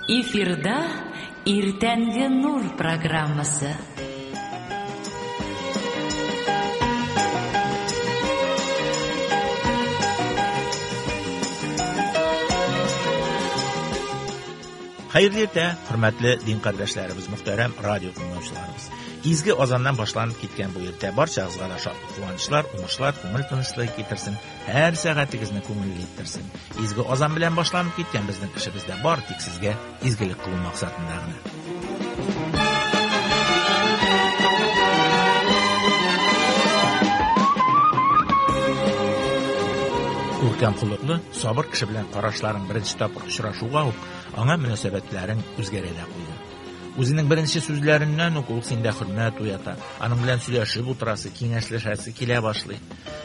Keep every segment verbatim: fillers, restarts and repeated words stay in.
Эфирда Иртәнге нур программасы. Хәерле иртә, хөрмәтле дин кардәшләребез, мөхтәрәм радио тыңлаучыларыбыз. Изге азаннан башланып киткән бу иртә барчагызга да шатлык, куанычлар, уңышлар, күңел тынычлыгы китерсен, һәр сәгатегезне күңелле иттерсен. Изге азан белән башланып киткән безнең эшебез дә бар тик сезгә изгелек кылу максатында гына. Күркәм холыклы, сабыр кеше белән карашларың беренче тапкыр очрашуга ук аңа мөнәсәбәтләрең үзгәрә дә куйды. Үзенең беренче сүзләреннән үк ул синдә хөрмәт уята, аның белән сөйләшеп утырасы, киңәшләшәсе килә башлый.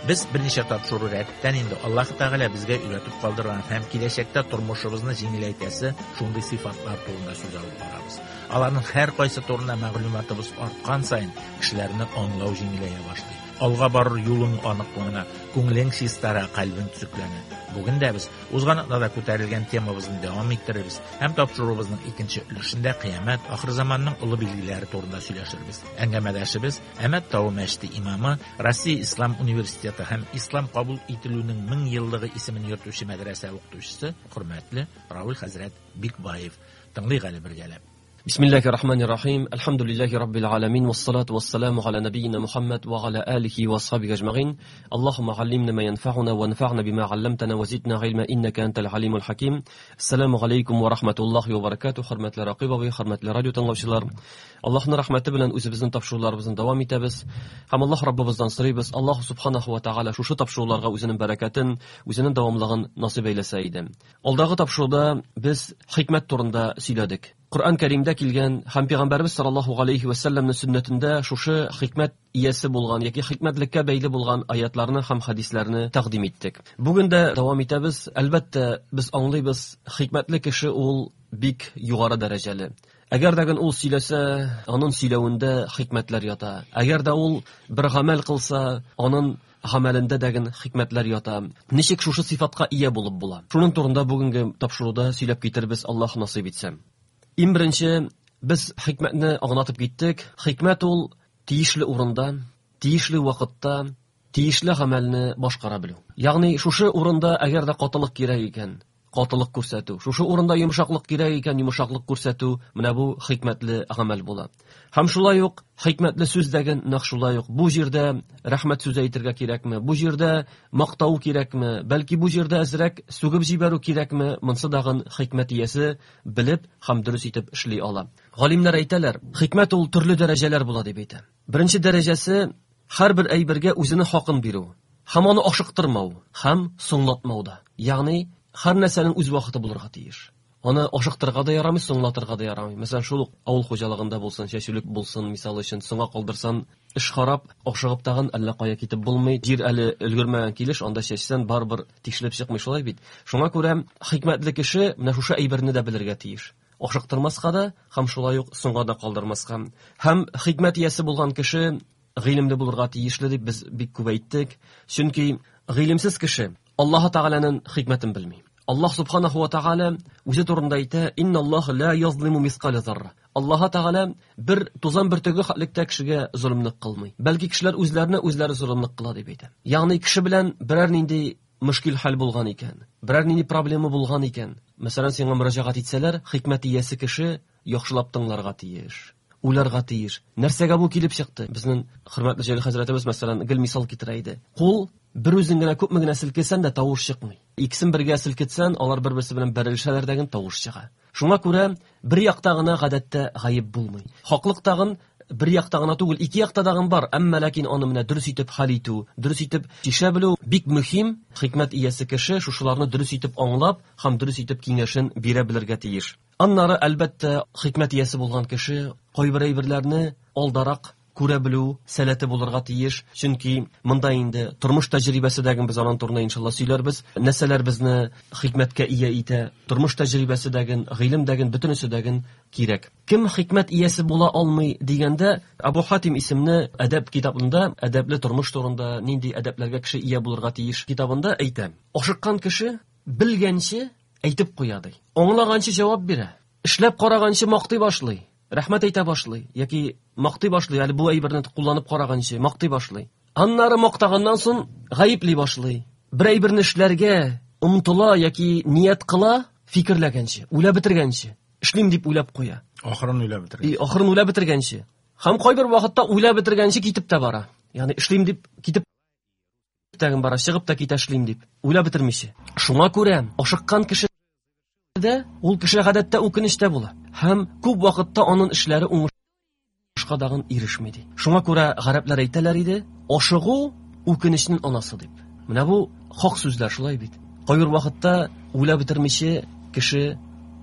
Без берничә тапшыру рәттән инде Аллаһ Тәгалә безгә өйрәтеп калдырган һәм киләчәктә тормышыбызны җиңеләйтәсе шундый сыйфатлар турында сүз алып барабыз. Аларның һәр кайсы турында мәгълүматыбыз арткан саен кешеләрне аңлау җиңеләя башлый. Алга барыр юлың аныклана, күңелең чистара, кальбең төзекләнә. Бүген дә без узган атнада күтәрелгән темабызны дәвам иттерербез һәм тапшыруыбызның икенче өлешендә кыямәт, ахыр заманның олы билгеләре турында сөйләшербез. Әңгәмәдәшебез Әмәт Тау мәчете имамы, Россия Ислам университеты һәм Ислам кабул ителүнең мең еллыгы исемен йөртүче мәдрәсә укытучысы хөрмәтле Равил хәзрәт Бикбаев. Тыңлыйк әле бергәләп. بسم الله الرحمن الرحيم الحمد لله رب العالمين والصلاة والسلام على نبينا محمد وعلى آله وصحبه أجمعين اللهم علمنا ما ينفعنا وانفعنا بما علمتنا وزدنا علما إنك أنت العليم الحكيم السلام عليكم ورحمة الله وبركاته хөрмәтле Рақиб абый, хөрмәтле радио тыңлаучылар. Аллаһның рәхмәте белән үзебезнең тапшыруларыбызны дәвам итәбез һәм Аллаһ Раббыбыздан сорыйбыз, Аллаһ субханаху ва тааля шушы тапшыруларга үзенең бәрәкәтен, үзенең дәвамлыгын насыйп әйләсә иде. Алдагы тапшыруда без хикмәт турында сөйләдек. Коръән Кәримдә килгән һәм Пәйгамбәрбез саллаллаһу алейхи ва сәлләмнең сөннәтендә шушы хикмәт иясе булган яки хикмәтлеккә бәйле булган аятларны һәм хадисләрне тәкъдим иттек. Бүген дә дәвам итәбез. Әлбәттә, без аңлыйбыз, хикмәтле кеше ул бик югары дәрәҗәле. Әгәр дә ул сөйләсә, аның сөйләвендә хикмәтләр ята. Әгәр дә ул бер гамәл кылса, аның гамәлендә дәген хикмәтләр ята. Ничек шушы сыйфатка ия булып була? Шуның турында бүгенге тапшыруда сөйләп китербез, Аллаһ насыйп итсә. Иң беренче без хикмәтне аңлатып киттек. Хикмәт ул тиешле урында, тиешле вакытта, тиешле гамәлне башкара белү. Ягъни шушы урында әгәр дә катылык кирәк икән, катылык күрсәтү. Шушы урында йомшаклык кирәк икән, йомшаклык күрсәтү, менә бу хикмәтле гамәл була. Һәм шулай ук хикмәтле сүз дәген нәкъ шулай ук бу җирдә рәхмәт сүзе әйтергә кирәкме, бу җирдә мактау кирәкме, бәлки бу җирдә әзрәк сүгеп җибәрү кирәкме, монсы дагын хикмәт иясе белеп һәм дөрес итеп эшли ала. Галимнәр әйтәләр, хикмәт ул төрле дәрәҗәләр була дип әйтә. Беренче дәрәҗәсе һәрбер әйбергә үзенең хакын бирү, һәм аны ашыктырмау, һәм соңлатмау да. Ягъни һәр нәрсәнең үз вакыты булырга тиеш. Аны ашыктырырга да ярамый, соңлатырга да ярамый. Мәсәлән, шул ук авыл хуҗалыгында булсын, чәчүлек булсын, мисал өчен, соңга калдырсан, эш харап, ашыгып тагын әллә кая китеп булмый. Җир әле өлгермәгән килеш, анда чәчсән барыбер тишелеп чыкмый, шулай бит. Шуңа күрә хикмәтле кеше менә шушы әйберне дә белергә тиеш. Ашыктырмаска да һәм шулай ук соңга да калдырмаска. Һәм хикмәт иясе булган кеше гыйлемле булырга тиешле дип без бик күп әйттек. Чөнки гыйлемсез кеше Аллаһ Тәгаләнең хикмәтен белми. Аллаһ субханаху ва тааля үзе турында әйтә: "Инналлаһа ла язлиму мисқала зарра". Аллаһ Тәгалә бер тузан бөртеге хәтлектә кешегә золымлык кылмый. Бәлки кешеләр үзләренә үзләре золымлык кыла дип әйтә. Ягъни кеше белән берәр нинди мөшкил хәл булган икән, берәр нинди проблема булган икән, мәсәлән, сиңа мөрәҗәгать итсәләр, хикмәт иясе кеше яхшылап тыңларга тиеш, уйларга тиеш. Нәрсәгә бу килеп чыкты? Безнең хөрмәтле Җәлил хәзрәтебез, мәсәлән, гел мисал китерә иде. Кул бер үзең генә күпме генә селкесән дә тавыш чыкмый. Икесен бергә селкетсән, алар бер-берсе белән бәрелешәләр дәген тавыш чыга. Шуңа күрә бер якта гына гадәттә гаеп булмый. Хаклык тагын бер якта гына түгел, ике якта дагын бар, әмма ләкин аны менә дөрес итеп хәл итү, дөрес итеп чишә белү бик мөһим. Хикмәт иясе кеше шушыларны дөрес итеп аңлап һәм дөрес итеп киңәшен бирә белергә тиеш. Аннары әлбәттә хикмәт иясе булган кеше кайбер әйберләрне алдарак күрә белү сәләте булырга тиеш. Чөнки монда инде тормыш тәҗрибәсе дәген без аның турында иншалла сөйләрбез. Нәрсәләр безне хикмәткә ия итә, тормыш тәҗрибәсе дәген, гыйлем дәген, бөтенесе дәген кирәк. Кем хикмәт иясе була алмый дигәндә, Абу Хатим исемле әдәп китабында, әдәпле тормыш турында, нинди әдәпләргә кеше ия булырга тиеш китабында әйтә. Ашыккан кеше белгәнче әйтеп куя ди. Аңлаганчы җавап бирә. Эшләп караганчы мактый башлый, рәхмәт әйтә башлый, яки мактый башлый, әле бу әйберне кулланып караганчы мактый башлый. Аннары мактаганнан соң гаепли башлый. Бер әйберне эшләргә омтыла яки ният кыла, фикерләгәнче, уйлап бетергәнче, эшлим дип уйлап куя. Ахырын уйлап бетергәнче. И ахырын уйлап бетергәнче. Һәм кайбер вакытта уйлап бетергәнче китеп тә бара. Ягъни эшлим дип китеп тәген бара, чыгып та китә эшлим дип, уйлап бетермичә. Шуңа күрә ашыккан кеше дә ул кеше гадәттә үкенечтә була. Һәм күп вакытта аның эшләре уңышка дагын ирешми ди. Шуңа күрә гарәпләр әйтәләр иде, ашыгу үкенечнең анасы дип. Менә бу хак сүзләр шулай бит. Кайбер вакытта уйлап бетермичә кеше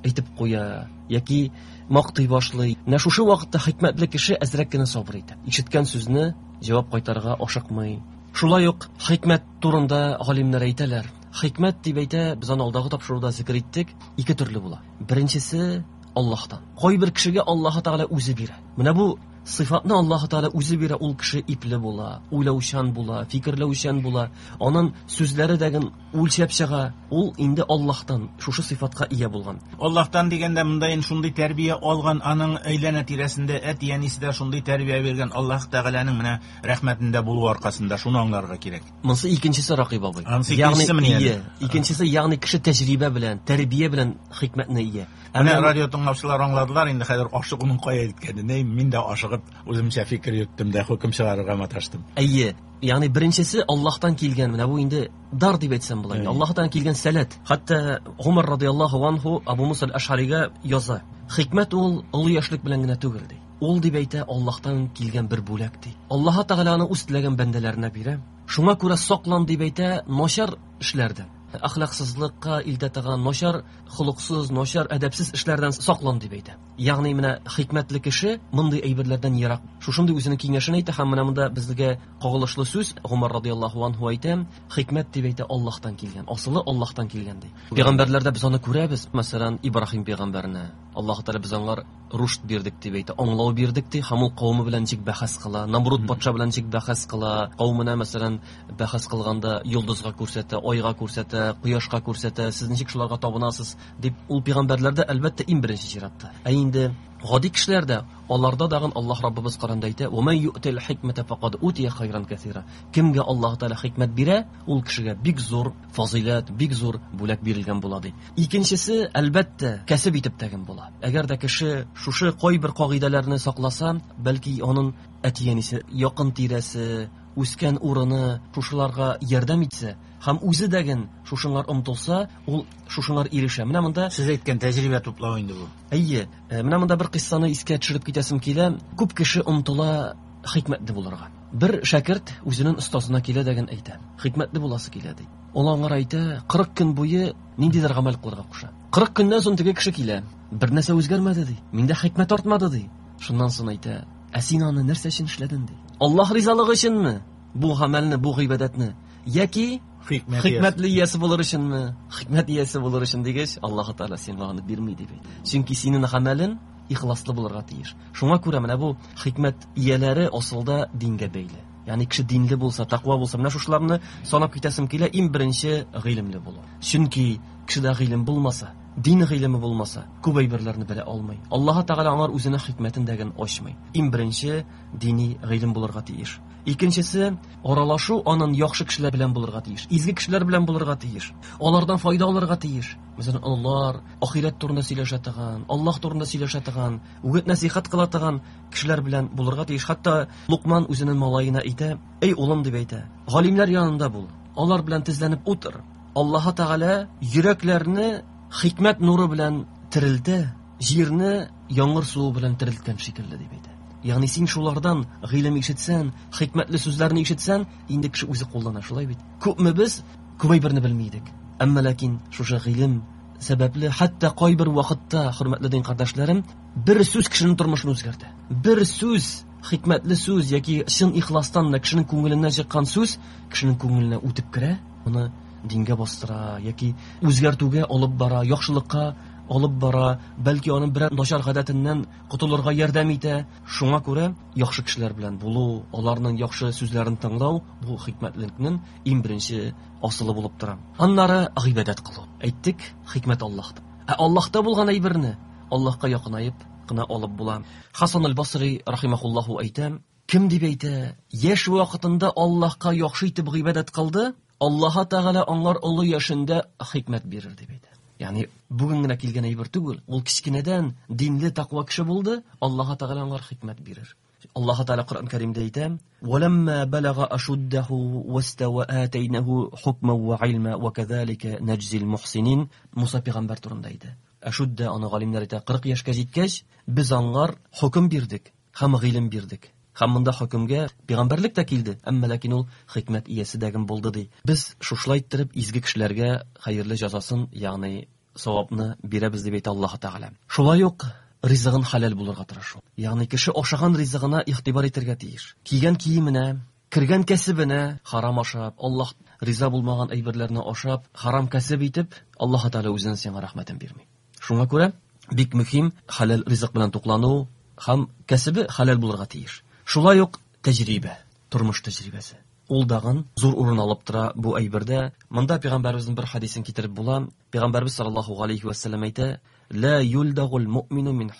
әйтеп куя яки мактый башлый. Менә шушы вакытта хикмәтле кеше әзрәк кенә сабыр итә. Ишеткән сүзне җавап кайтарырга ашыкмый. Шулай ук хикмәт турында галимнәр әйтәләр. Хикмәт дип әйтә, без аны алдагы тапшыруда зикер иттек, ике төрле була. Беренчесе Аллаһтан. Кайбер кешегә Аллаһ Тәгалә үзе бирә. Менә бу сыйфатны Аллаһ Тәгалә үзе бирә, ул кеше ипле була, уйлаучан була, фикерләүчән була. Аның сүзләре дәген үлчәп чыга. Ул инде Аллаһтан шушы сыйфатка ия булган. Аллаһтан дигәндә монда инде шундый тәрбия алган, аның әйләнә тирәсендә әти-әнисе дә шундый тәрбия биргән, Аллаһ Тәгаләнең менә рәхмәтендә булу аркасында шуны аңларга кирәк. Монсы икенчесе, Ракыйп абый. Ансы икенчесе менә әле. Икенчесе, ягъни кеше тәҗрибә белән, тәрбия белән хикмәтне ия. Менә радио тыңлаучылар аңладылар, инде хәзер ашыгуның кая илткәнен. Мин дә ашыгып үземчә фикер йөрттем дә хөкем чыгарырга маташтым. Әйе, ягъни беренчесе Аллаһтан килгән, менә бу инде дар дип әйтсәм була. Аллаһтан килгән сәләт. Хәтта Умар радияллаһу анһу Абу Муса аль-Аш'арига яза. Хикмәт ул олы яшьлек белән генә түгел ди. Ул дип әйтә, Аллаһтан килгән бер бүләк ди. Аллаһ Тәгалә аны үз теләгән бәндәләренә бирә. Шуңа күрә саклан дип әйтә начар эшләрдән. Әхлаксызлыкка илтә торган начар, холыксыз, начар, әдәпсез эшләрдән саклан дип әйтә. Ягъни менә хикмәтле кеше мондый әйберләрдән ерак. Шушындый үзенең киңәшен әйтә һәм менә монда безгә кагылышлы сүз Умар радияллаһу анһу әйтә, хикмәт дип әйтә Аллаһтан килгән, асылы Аллаһтан килгән ди. Пәйгамбәрләрдә без аны күрәбез, мәсәлән, Ибраһим пәйгамбәрне Аллаһ Тәгалә без аңар рушд бирдек дип әйтә, аңлау бирдек ди, һәм ул кавымы белән ничек бәхәс кыла, Намруд патша белән ничек бәхәс кыла, кавымына мәсәлән бәхәс кылганда йолдызга күрсәтә, айга күрсәтә, кояшка күрсәтә, сез ничек шуларга табынасыз дип, ул пәйгамбәрләрдә әлбәттә иң беренче чиратта. Ә инде гади кешеләрдә, аларда дагын Аллаһ Раббыбыз Коранда әйтә: "Ва ман ю'тил хикмәтә фақад утия хайран кәсира". Кемгә Аллаһ Тәгалә хикмәт бирә, ул кешегә бик зур фазыйләт, бик зур бүләк бирелгән була ди. Икенчесе, әлбәттә, кәсеп итеп тәген була. Әгәр дә кеше шушы кайбер кагыйдәләрне сакласа, бәлки аның әти-әнисе, якын тирәсе, үскән урыны шушыларга ярдәм итсә һәм үзе дәген шушыңар омтылса, ул шушыңар ирешә. Менә монда сез әйткән тәҗрибә туплау инде бу. Әйе, менә монда бер кыйссаны искә төшереп китәсем килә. Күп кеше омтыла хикмәтле булырга. Бер шәкерт үзенең остазына килә дәген әйтә. Хикмәтле буласы килә ди. Ул аңар әйтә, кырык көн буе ниндидер гамәл кылырга куша. Кырык көннән соң теге кеше килә. Бер нәрсә үзгәрмәде ди. Миндә хикмәт артмады ди. Шуннан соң әйтә, ә син аны нәрсә өчен эшләдең ди. Аллаһ ризалыгы өченме бу гамәлне, бу гыйбадәтне? Яки хикмәтле иясе булыр өченме? Хикмәт иясе булыр өчен дигәч, Аллаһ Тәгалә сиңа аны бирми дип әйтә. Чөнки синең гамәлең ихласлы булырга тиеш. Шуңа күрә менә бу хикмәт ияләре асылда дингә бәйле. Ягъни кеше динле булса, тәкъва булса, менә шушыларны санап китәсем килә, иң беренче гыйлемле булу. Чөнки кешедә гыйлем булмаса, дин гыйлеме булмаса, күп әйберләрне белә алмый. Аллаһ Тәгалә аңар үзенең хикмәтен дәген ачмый. Иң беренче дини гыйлем булырга тиеш. Икенчесе, аралашу аның яхшы кешеләр белән булырга тиеш, изге кешеләр белән булырга тиеш. Алардан файда алырга тиеш. Мәсәлән, алар ахирәт турында сөйләшә торган, Аллаһ турында сөйләшә торган, үгет нәсихәт кыла торган кешеләр белән булырга тиеш. Хәтта Лукман үзенең малаена әйтә: "Эй улым", дип әйтә, "галимнәр янында бул, алар белән тезләнеп утыр. Аллаһ Тәгалә йөрәкләрне хикмәт нуры белән терелтә, җирне яңгыр суы белән терелткән шикелле", дип әйтә. Ягъни син шулардан гыйлем ишетсән, хикмәтле сүзләрне ишетсән, инде кеше үзе куллана, шулай бит. Күпме без күп әйберне белми идек. Әмма ләкин шушы гыйлем сәбәпле, хәтта кайбер вакытта, хөрмәтле дин кардәшләрем, бер сүз кешенең тормышын үзгәртә. Бер сүз, хикмәтле сүз яки чын ихластан кешенең күңеленнән чыккан сүз кешенең күңеленә үтеп керә, аны дингә бастыра яки үзгәртүгә алып бара, яхшылыкка алып бара, бәлки аның берәр начар гадәтеннән котылырга ярдәм итә. Шуңа күрә яхшы кешеләр белән булу, аларның яхшы сүзләрен тыңлау бу хикмәтлекнең иң беренче асылы булып тора. Аннары гыйбадәт кылу. Әйттек, хикмәт Аллаһта. Ә Аллаһта булган әйберне Аллаһка якынаеп кына алып була. Хасан аль-Басри рахимахуллаху әйтә, кем дип әйтә, яшь вакытында Аллаһка яхшы итеп гыйбадәт кылды, Аллаһ Тәгалә аңар олы яшендә хикмәт бирер дип әйтә. Ягъни бүген генә килгән әйбер түгел, ул кечкенәдән динле тәкъва кеше булды, Аллаһ Тәгалә аңар хикмәт бирер. Аллаһ Тәгалә Коръән Кәримдә әйтә: "Валамма балага ашуддаһу вастава атайнаһу хукман ва илма ва казалика наджзил мухсинин". Муса пәйгамбәр турында әйтә. Ашудда аны галимнәр әйтә, кырык яшькә җиткәч, без аңар хөкем бирдек һәм гыйлем бирдек. Һәм монда хөкемгә пәйгамбәрлек тә килде, әмма ләкин ул хикмәт иясе дәген булды ди. Без шушылай иттереп изге кешеләргә хәерле җәзасын, ягъни савапны бирәбез дип әйтә Аллаһ Тәгалә. Шулай ук ризыгын хәләл булырга тырышу. Ягъни кеше ашаган ризыгына игътибар итәргә тиеш. Кигән киеменә, кергән кәсебенә харам ашап, Аллаһ риза булмаган әйберләрне ашап, харам кәсеп итеп, Аллаһ Тәгалә үзенең сиңа рәхмәтен бирми. Шуңа күрә бик мөһим хәләл ризык белән туклану һәм кәсебе хәләл булырга тиеш. Шулай ук тәҗрибә, тормыш тәҗрибәсе. Ул дагын зур урын алып тора бу әйбердә. Монда пәйгамбәребезнең бер хадисен китереп була. Пәйгамбәребез саллаллаһу алейхи ва саллям әйтә: "Ла юлдагул муъмину мин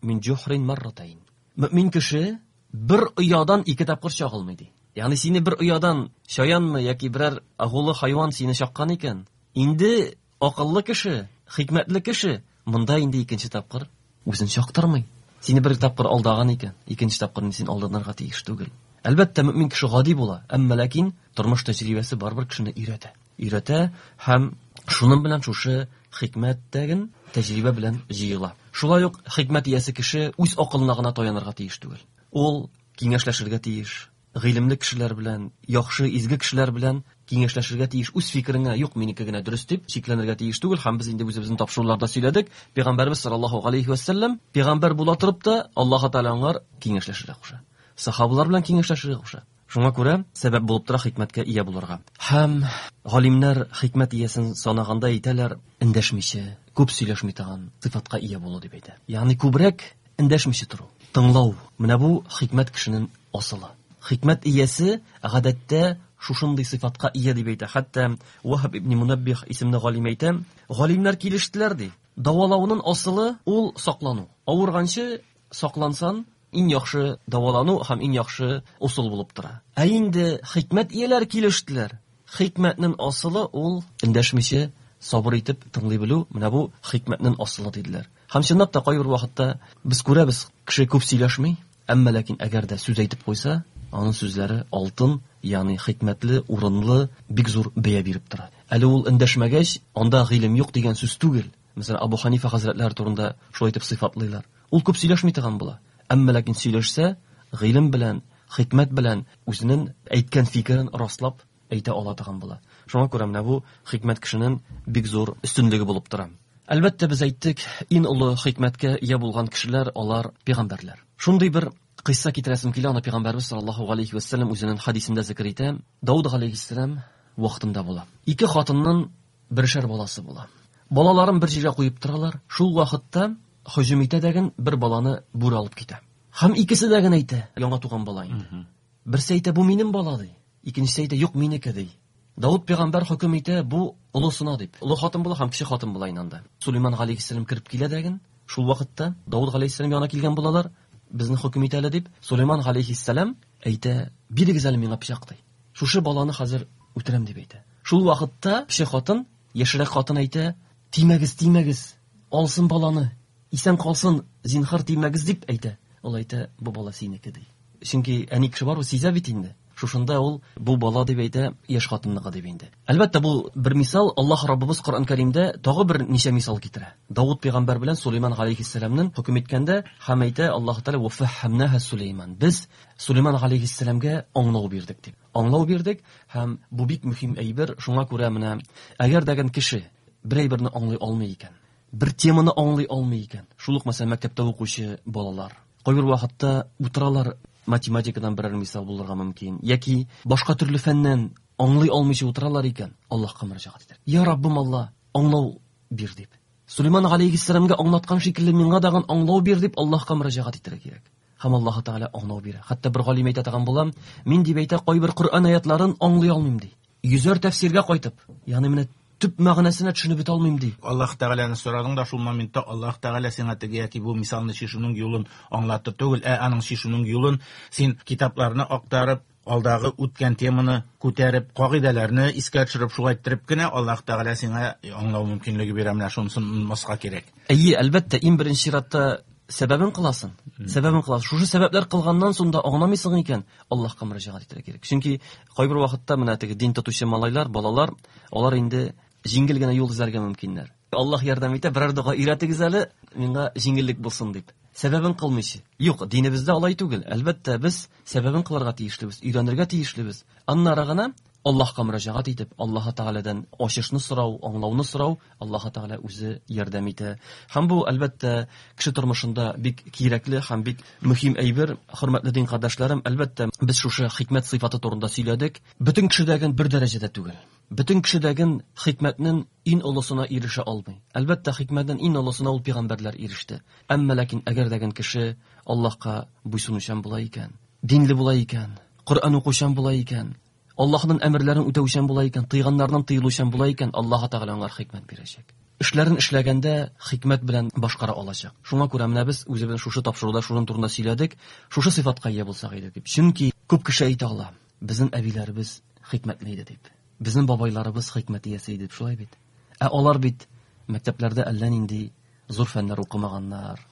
мин җухрин марратайн". Мөмин кеше бер оядан ике тапкыр чагылмый ди. Ягъни сине бер оядан чаянмы яки берәр агулы хайван сине чаккан икән, инде акыллы кеше, хикмәтле кеше монда инде икенче тапкыр үзен чактырмый. Сине бер тапкыр алдаган икән, икенче тапкыр син алданырга тиеш түгел. Әлбәттә, мөмин кеше гади була, әмма ләкин тормыш тәҗрибәсе барыбер кешене өйрәтә. Өйрәтә һәм шуның белән шушы хикмәт дәген тәҗрибә белән җыела. Шулай ук хикмәт иясе кеше үз акылына гына таянырга тиеш түгел. Ул киңәшләшергә тиеш, гыйлемле кешеләр белән, яхшы, изге кешеләр белән киңәшләшергә тиеш. Үз фикереңә юк, минеке генә дөрес дип чикләнергә тиеш түгел. Һәм без инде үзебезнең тапшыруларда сөйләдек. Пәйгамбәрбез саллаллаһу алейхи ва саллям пәйгамбәр була торып та Аллаһ Тәгалә аңар киңәшләшергә куша. Сахабалар белән киңәшләшергә куша. Шуңа күрә сәбәп булып тора хикмәткә ия булырга. Һәм галимнәр хикмәт иясен санаганда әйтәләр, эндәшмичә, күп сөйләшми торган сыйфатка ия булу дип әйтә. Ягъни күбрәк эндәшмичә тору, тыңлау. Менә бу хикмәт кешенең асылы. Хикмәт иясе гадәттә шушындый сыйфатка ия дип әйтә. Хәтта Ваһаб ибн Мунаббих исемле галим әйтә, галимнәр килештеләр ди. Дәвалауның асылы ул саклану. Авырганчы саклансан, иң яхшы дәвалану һәм иң яхшы усул булып тора. Ә инде хикмәт ияләре килештеләр. Хикмәтнең асылы ул эндәшмичә сабыр итеп тыңлый белү. Менә бу хикмәтнең асылы диделәр. Һәм чынлап та кайбер вакытта без күрәбез, кеше күп сөйләшми, әмма ләкин әгәр дә сүз әйтеп куйса, аның сүзләре алтын, ягъни хикмәтле, урынлы, бик зур бәя биреп тора. Әле ул эндәшмәгәч, анда гыйлем юк дигән сүз түгел. Мәсәлән, Абу Ханифа хәзрәтләре турында шулай итеп сыйфатлыйлар. Ул күп сөйләшми торган була. Әмма ләкин сөйләшсә, гыйлем белән, хикмәт белән үзенең әйткән фикерен раслап әйтә ала торган була. Шуңа күрә менә бу хикмәт кешенең бик зур өстенлеге булып тора. Әлбәттә, без әйттек, иң олы хикмәткә ия булган кешеләр алар пәйгамбәрләр. Шундый бер кыйсса китерәсем килә, аны пәйгамбәрбез саллаллаһу алейхи ва саллям үзенең хадисендә зикр итә. Дауд алейхиссалам вакытында була. Ике хатынның бершәр баласы була. Балаларын бер җиргә куеп торалар. Шул вакытта һөҗүм итә дәген бер баланы бүре алып китә. Һәм икесе дә генә әйтә, яңа туган бала инде. Берсе әйтә, бу минем бала ди. Икенчесе әйтә, юк, минеке ди. Дауд пәйгамбәр хөкем итә, бу олысына дип. Олы хатын була һәм кече хатын була инде. Сулейман алейхиссалам кереп килә дәген, шул вакытта Дауд алейхиссалам янына килгән булалар, безне хөкем итә әле дип. Сулейман алейхиссалам әйтә, бирегез әле миңа пычак ди. Шушы баланы хәзер үтерәм дип әйтә. Шул вакытта кече хатын, яшьрәк хатын әйтә, тимәгез, тимәгез, алсын баланы, исән калсын, зинһар тимәгез дип әйтә. Ул әйтә, бу бала синеке ди. Чөнки әни кеше бар, ул сизә бит инде. Шушында ул бу бала дип әйтә, яшь хатынныкы дип инде. Әлбәттә, бу бер мисал. Аллаһ Раббыбыз Коръән Кәримдә тагы бер ничә мисал китерә. Дауд пәйгамбәр белән Сулейман алейхиссәламның хөкем иткәндә һәм әйтә Аллаһ Тәгалә: "Ва фәһһәмнаһа Сулейман". Без Сулейман алейхиссәламгә аңлау бирдек дип. Аңлау бирдек һәм бу бик мөһим әйбер. Шуңа күрә менә әгәр дәген кеше бер әйберне аңлый алмый икән, бер теманы аңлый алмый икән, шул ук мәсәлән мәктәптә укучы балалар кайбер вакытта утыралар, математикадан берәр мисал булырга мөмкин, яки башка төрле фәннән аңлый алмыйча утыралар икән, Аллаһка мөрәҗәгать итәр. Я Раббым Алла, аңлау бир дип. Сулейман алейхиссәламгә аңлаткан шикелле миңа дагын аңлау бир дип Аллаһка мөрәҗәгать итәргә кирәк. Һәм Аллаһ Тәгалә аңлау бирә. Хәтта бер галим әйтә торган булам, мин дип әйтә, кайбер Коръән аятларын аңлый алмыйм ди. Йөзәр тәфсиргә кайтып, ягъни менә Төп мәгънәсенә төшенеп бетә алмыйм ди. Аллаһ Тәгаләне сорадың да шул моментта Аллаһ Тәгалә сиңа теге яки бу мисалны чишүнең юлын аңлатты түгел, ә аның чишүнең юлын син китапларны актарып, алдагы үткән теманы күтәреп, кагыйдәләрне искә төшереп, шулай иттереп кенә Аллаһ Тәгалә сиңа аңлау мөмкинлеге бирә. Менә шунысын онытмаска кирәк. Әйе, әлбәттә, иң беренче чиратта сәбәбен кыласың. Сәбәбен кыласың. Шушы сәбәпләр кылганнан соң да аңламыйсың икән, Аллаһка мөрәҗәгать итәргә кирәк. Чөнки кайбер вакытта менә теге дин тотучы малайлар, балалар, алар инде җиңел генә юл эзләргә мөмкиннәр. Аллаһ ярдәм итә, берәр дога өйрәтегез әле, миңа җиңеллек булсын дип. Сәбәбен кылмыйча. Юк, динебездә алай түгел. Әлбәттә, без сәбәбен кылырга тиешлебез, өйрәнергә тиешлебез. Аннары гына Аллаһка мөрәҗәгать итеп, Аллаһ Тәгаләдән ачышны сорау, аңлауны сорау, Аллаһ Тәгалә үзе ярдәм итә. Һәм бу, әлбәттә, кеше тормышында бик кирәкле һәм бик мөһим әйбер. Хөрмәтле дин кардәшләрем, әлбәттә, без шушы хикмәт сыйфаты турында сөйләдек. Бөтен кешедәген бер дәрәҗәдә түгел. Бөтен кешедәген хикмәтнең иң олысына ирешә алмый. Әлбәттә, хикмәтнең иң олысына ул пәйгамбәрләр иреште. Әмма ләкин әгәр дәген кеше Аллаһка буйсынучан була икән, динле була икән, Коръән укучан була икән, Аллаһның әмерләрен үтәүчән була икән, тыйганнардан тыелучан була икән, Аллаһ Тәгалә аңар хикмәт бирәчәк. Эшләрен эшләгәндә хикмәт белән башкара алачак. Шуңа күрә менә без үзебез шушы тапшыруда шуның турында сөйләдек, шушы сыйфатка ия булсак иде дип. Чөнки күп кеше әйтә ала, безнең әбиләребез хикмәтле иде дип. Безнең бабайларыбыз хикмәт иясе иде дип, шулай бит. Ә алар бит мәктәпләрдә әллә нинди зур фәннәр укымаганнар.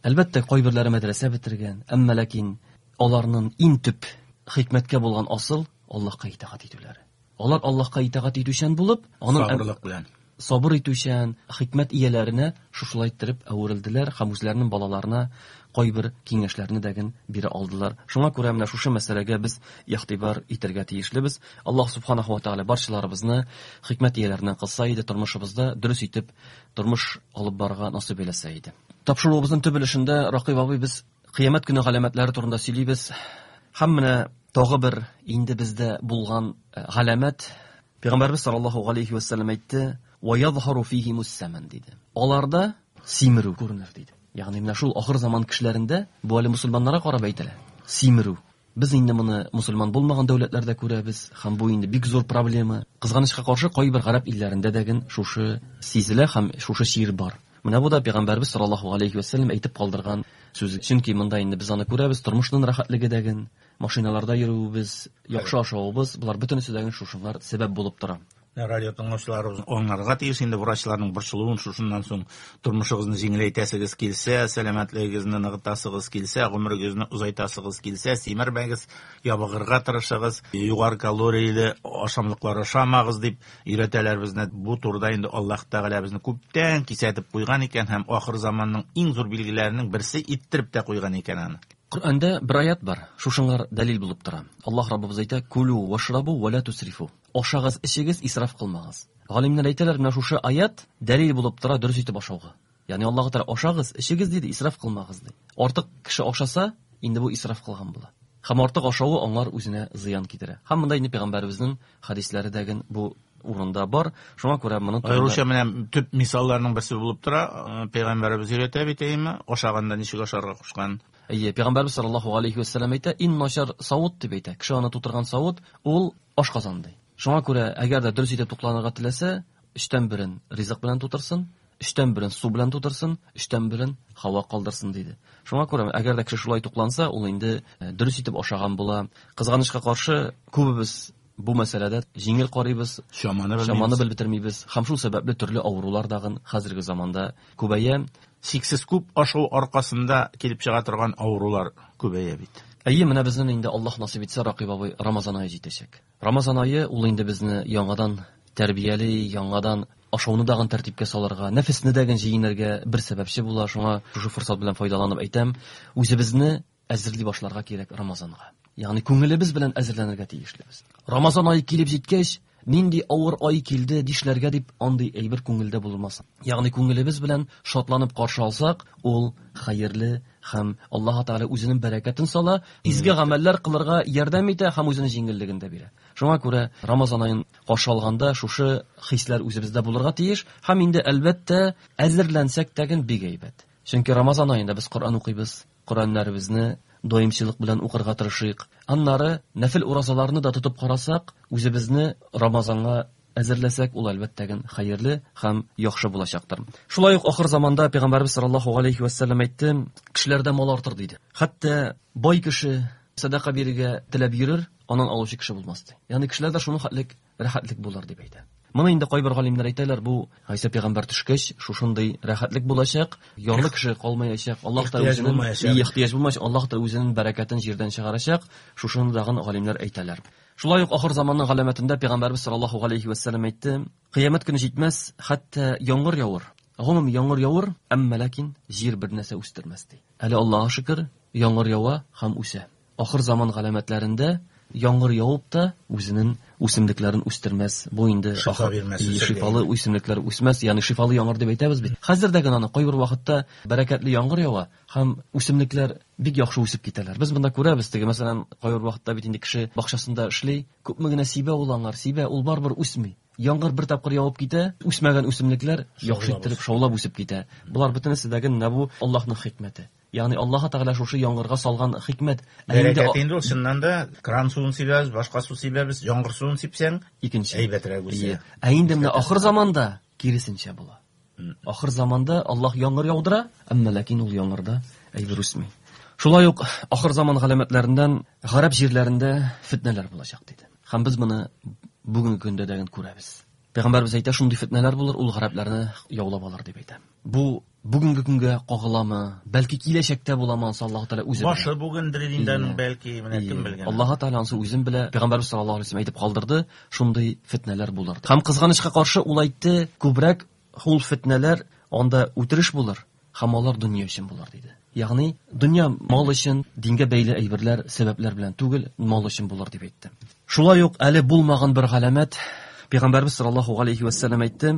Әлбәттә, кайберләре мәдрәсә бетергән, әмма ләкин аларның иң төп хикмәткә булган асыл Аллаһка итагать итүләре. Алар Аллаһка итагать итүчән булып, аның сабырлык белән сабыр итүчән хикмәт ияләренә шушылай иттереп әверелделәр һәм үзләренең балаларына кайбер киңәшләрне дәген бирә алдылар. Шуңа күрә менә шушы мәсьәләгә без игътибар итәргә тиешлебез. Аллаһ субханаһу ва тааля барчаларыбызны хикмәт ияләреннән кылса иде, тормышыбызда дөрес итеп тормыш алып барырга насыйп әйләсә иде. Тапшыруыбызның төп өлешендә Ракыйп абый без кыямәт көне галәмәтләре турында сөйлибез. Һәм менә тагы бер инде бездә булган галәмәт. Пәйгамбәрбез саллаллаһу алейхи ва саллям әйтте: "Ва язһару фихи муссаман" диде. Аларда симерү күренер диде. Ягъни менә шул ахыр заман кешеләрендә, бу әле мусульманнарга карап әйтелә. Симерү. Без инде моны мусульман булмаган дәүләтләрдә күрәбез, һәм бу инде бик зур проблема. Кызганычка каршы, кайбер гарәп илләрендә дә шушы сизелә һәм шушы чир бар. Менә бу да Пәйгамбәрбез саллаллаһу алейхи ва саллям әйтеп калдырган сүз. Чөнки монда инде без аны күрәбез, тормышның рәхәтлеге дәген, машиналарда йөрүебез, яхшы ашавыбыз, болар бөтенесе дәген шушылар сәбәп булып тора. Радио тыңлаучыларыбыз аңларга тиеш инде врачларның борчылуын шушыннан соң тормышыгызны җиңеләйтәсегез килсә, сәламәтлегегезне ныгытасыгыз килсә, гомерегезне озайтасыгыз килсә, симермәгез, ябыгырга тырышыгыз, югары калорияле ашамлыклар ашамагыз дип өйрәтәләр безне. Бу турыда инде Аллаһ Тәгалә безне күптән кисәтеп куйган икән һәм ахыр заманның иң зур билгеләренең берсе иттереп тә куйган икән аны. Коръәндә бер аят бар, шушыңар дәлил булып тора. Аллаһ Раббыбыз әйтә: "Кулу вашрабу ва ла тусрифу." Ашагыз, эчегез, исраф кылмагыз. Галимнәр әйтәләр, менә шушы аят дәлил булып тора дөрес итеп ашауга. Ягъни Аллаһ Тәгалә ашагыз, эчегез диде, исраф кылмагыз ди. Артык кеше ашаса, инде бу исраф кылган була. Һәм артык ашавы аңар үзенә зыян китерә. Һәм монда инде пәйгамбәребезнең хадисләре дәген бу урында бар. Шуңа күрә моны турында Аеруча менә төп мисалларның берсе булып тора. Пәйгамбәребез өйрәтә бит, әйеме? Ашаганда ничек ашарга кушкан. Әйе, Пәйгамбәребез саллаллаһу алейхи ва саллям әйтә, иң начар савыт дип әйтә. Кеше аны тутырган савыт ул ашказан ди. Шуңа күрә әгәр дә дөрес итеп тукланырга теләсә, өчтән берен ризык белән тутырсын, өчтән берен су белән тутырсын, өчтән берен һава калдырсын диде. Шуңа күрә әгәр дә кеше шулай тукланса, ул инде дөрес итеп ашаган була. Кызганычка каршы, күбебез бу мәсьәләдә җиңел карыйбыз, чаманы чаманы белеп бетермибез. Һәм шул сәбәпле төрле авырулар дагын хәзерге заманда күбәя. Чиксез күп ашау аркасында килеп чыга торган авырулар күбәя бит. Әйе, менә безнең инде Аллаһ насыйп итсә, Ракыйп абый, Рамазан ае җитәчәк. Рамазан ае ул инде безне яңадан тәрбияли, яңадан ашауны дагын тәртипкә салырга, нәфесне дәген җиңәргә бер сәбәпче була. Шуңа шушы форсат белән файдаланып әйтәм, үзебезне әзерли башларга кирәк Рамазанга. Ягъни күңелебез белән әзерләнергә тиешлебез. Рамазан ае килеп җиткәч, нинди авыр ай килде дишләргә дип андый әйбер күңелдә булмасын. Ягъни күңелебез белән шатланып каршы алсак, ул хәерле һәм Аллаһ Тәгалә үзенең бәрәкәтен сала, изге гамәлләр кылырга ярдәм итә һәм үзенең җиңеллеген дә бирә. Шуңа күрә Рамазан аен каршы алганда шушы хисләр үзебездә булырга тиеш һәм инде әлбәттә әзерләнсәк тәген бик әйбәт. Чөнки Рамазан аенда без Коръән укыйбыз, Коръәннәребезне даимчылык белән укырга тырышыйк. Аннары нәфил уразаларны да тотып карасак, үзебезне Рамазанга әзерләсәк, ул әлбәттә хәерле һәм яхшы булачактыр. Шулай ук ахыр заманда Пәйгамбәрбез саллаллаһу алейхи ва сәлләм әйтте, кешеләрдә мал артыр диде. Хәтта бай кеше садака бирергә теләп йөрер, аннан алучы кеше булмас ди. Ягъни кешеләрдә шуның хәтлек рәхәтлек булыр дип әйтә. Моны инде кайбер галимнәр әйтәләр, бу Гайсә пәйгамбәр төшкәч, шушындый рәхәтлек булачак, ярлы кеше калмаячак, Аллаһ та үзенең ихтыяҗ булмаячак, Аллаһ та үзенең бәрәкәтен җирдән чыгарачак, шушыны дагын галимнәр әйтәләр. Шулай ук ахыр заманның галәмәтендә Пәйгамбәрбез саллаллаһу алейхи ва сәлләм әйтте, кыямәт көне җитмәс, хәтта яңгыр явыр. Гомум яңгыр явыр, әмма ләкин җир бер нәрсә үстермәс ди. Әле Аллаһка шөкер, яңгыр ява һәм үсә. Ахыр заман галәмәтләрендә яңгыр явып та үзенең үсемлекләрен үстермәс. Бу инде шифа бирмәс, шифалы үсемлекләр үсмәс, ягъни шифалы яңгыр дип әйтәбез бит. Хәзер дә генә аны кайбер вакытта бәрәкәтле яңгыр ява һәм үсемлекләр бик яхшы үсеп китәләр. Без монда күрәбез, теге мәсәлән, кайбер вакытта бит инде кеше бакчасында эшли, күпме генә сибә ул аңар, сибә, ул барыбер үсми. Яңгыр бер тапкыр явып китә, үсмәгән үсемлекләр яхшы иттереп шаулап үсеп китә. Болар бөтенесе дә генә бу Аллаһның хикмәте. Ягъни Аллаһ Тәгалә шушы яңгырга салган хикмәт. Бәрәкәт инде ул чыннан да кран суын сибәбез, башка су сибәбез, яңгыр суын сипсәң, икенче әйбәтрәк үсә. Ә инде менә ахыр заманда киресенчә була. Ахыр заманда Аллаһ яңгыр яудыра, әмма ләкин ул яңгырда әйбер үсми. Шулай ук ахыр заман галәмәтләреннән гарәп җирләрендә фитнәләр булачак диде. Һәм без моны бүгенге көндә дә күрәбез. Пәйгамбәрбез әйтә, шундый фитнәләр булыр, ул гарәпләрне яулап алыр дип әйтә. Бу бүгенге көнгә кагыламы, бәлки киләчәктә буламы, ансы Аллаһ Тәгалә үзе белә. Башы бүгендер инде аның, бәлки менә кем белгән. Аллаһ Тәгалә ансы үзен белә. Пәйгамбәрбез саллаллаһу алейһи ва сәлләм әйтеп калдырды, шундый фитнәләр булыр. Һәм кызганычка каршы ул әйтте, күбрәк ул фитнәләр анда үтереш булыр, һәм алар дөнья өчен булыр диде. Ягъни дөнья мал өчен, дингә бәйле әйберләр, сәбәпләр белән түгел, мал өчен булыр дип әйтте. Шулай ук әле булмаган бер галәмәт Пәйгамбәрбез саллаллаһу алейхи ва сәлләм әйтте,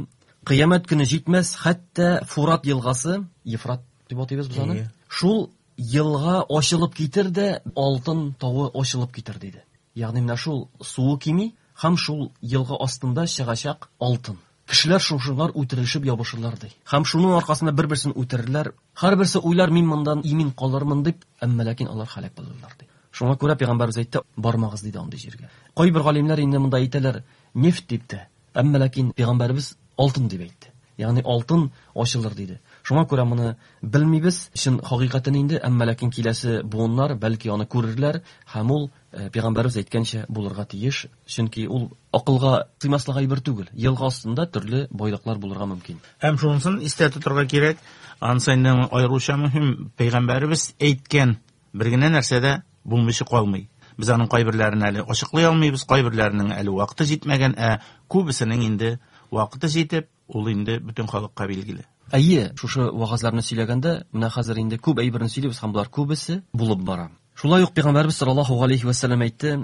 кыямәт көне җитмәс, хәтта Фурат елгасы, Ефрат дип атыйбыз без аны, шул елга ачылып китер дә, алтын тавы ачылып китер диде. Ягъни менә шул суы кими һәм шул елга астында чыгачак алтын. Кешеләр шушылар үтерелешеп ябышырлар ди. Һәм шуның аркасында бер-берсен үтерерләр. Һәрберсе уйлар, мин мондан имин калырмын дип, әмма ләкин алар һәлак булырлар ди. Шуңа күрә Пәйгамбәрбез әйтте, бармагыз диде андый җиргә. Кайбер галимнәр инде монда әйтәләр, нефть дип тә, әмма ләкин Пәйгамбәрбез алтын дип әйтте. Ягъни алтын ачылыр диде. Шуңа күрә моны белмибез, чын хакыйкатен инде, әмма ләкин киләсе буыннар бәлки аны күрерләр һәм ул Пәйгамбәрбез әйткәнчә булырга тиеш, чөнки ул акылга сыймаслык әйбер түгел. Елга астында төрле байлыклар булырга мөмкин. Һәм шунысын истә тотарга кирәк, анысы инде аеруча мөһим, Пәйгамбәрбез әйткән бер генә нәрсә дә булмыйча калмый. Без аның кайберләрен әле ачыклый алмыйбыз, кайберләренең әле вакыты җитмәгән, ә күбесенең инде вакыты җитеп, ул инде бөтен халыкка билгеле. Әйе, шушы вагазларны сөйләгәндә, менә хәзер инде күп әйберне сөйлибез һәм болар күбесе булып бара. Шулай ук Пәйгамбәрбез саллаллаһу алейхи ва сәлләм әйтте,